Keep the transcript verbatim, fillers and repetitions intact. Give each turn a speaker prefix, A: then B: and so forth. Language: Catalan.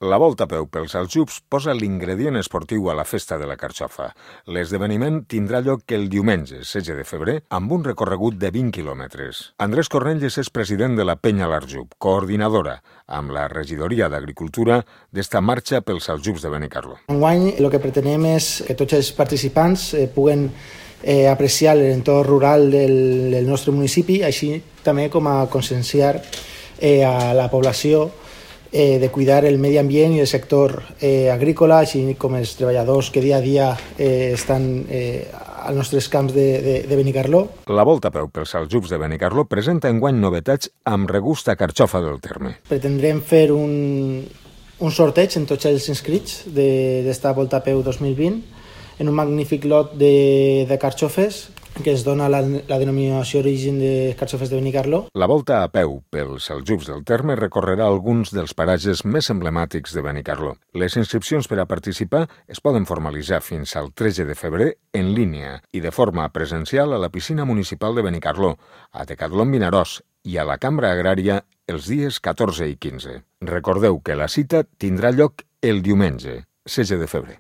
A: La Volta a peu pels Aljubs posa l'ingredient esportiu a la Festa de la Carxofa. L'esdeveniment tindrà lloc el diumenge, setze de febrer, amb un recorregut de vint quilòmetres. Andrés Cornelles és president de la Penya L'Arjub, coordinadora, amb la regidoria d'Agricultura, d'esta marxa pels Aljubs de Benicarló.
B: Enguany el que pretenem és que tots els participants eh, puguen eh, apreciar l'entorn rural del, del nostre municipi, així també com a conscienciar eh, a la població Eh, de cuidar el medi ambient i el sector eh, agrícola, així com els treballadors que dia a dia eh, estan eh, als nostres camps de, de, de Benicarló.
A: La Volta a peu pels Aljubs de Benicarló presenta enguany novetats amb regust a carxofa del terme.
B: Pretendrem fer un, un sorteig en tots els inscrits d'esta Volta a peu dos mil vint en un magnífic lot de, de carxofes que es dona la, la denominació origen de carxofes de Benicarló.
A: La Volta a peu pels Aljubs del terme recorrerà alguns dels paratges més emblemàtics de Benicarló. Les inscripcions per a participar es poden formalitzar fins al tretze de febrer en línia i de forma presencial a la piscina municipal de Benicarló, a Decatlon Vinaròs i a la Cambra Agrària els dies catorze i quinze. Recordeu que la cita tindrà lloc el diumenge, setze de febrer.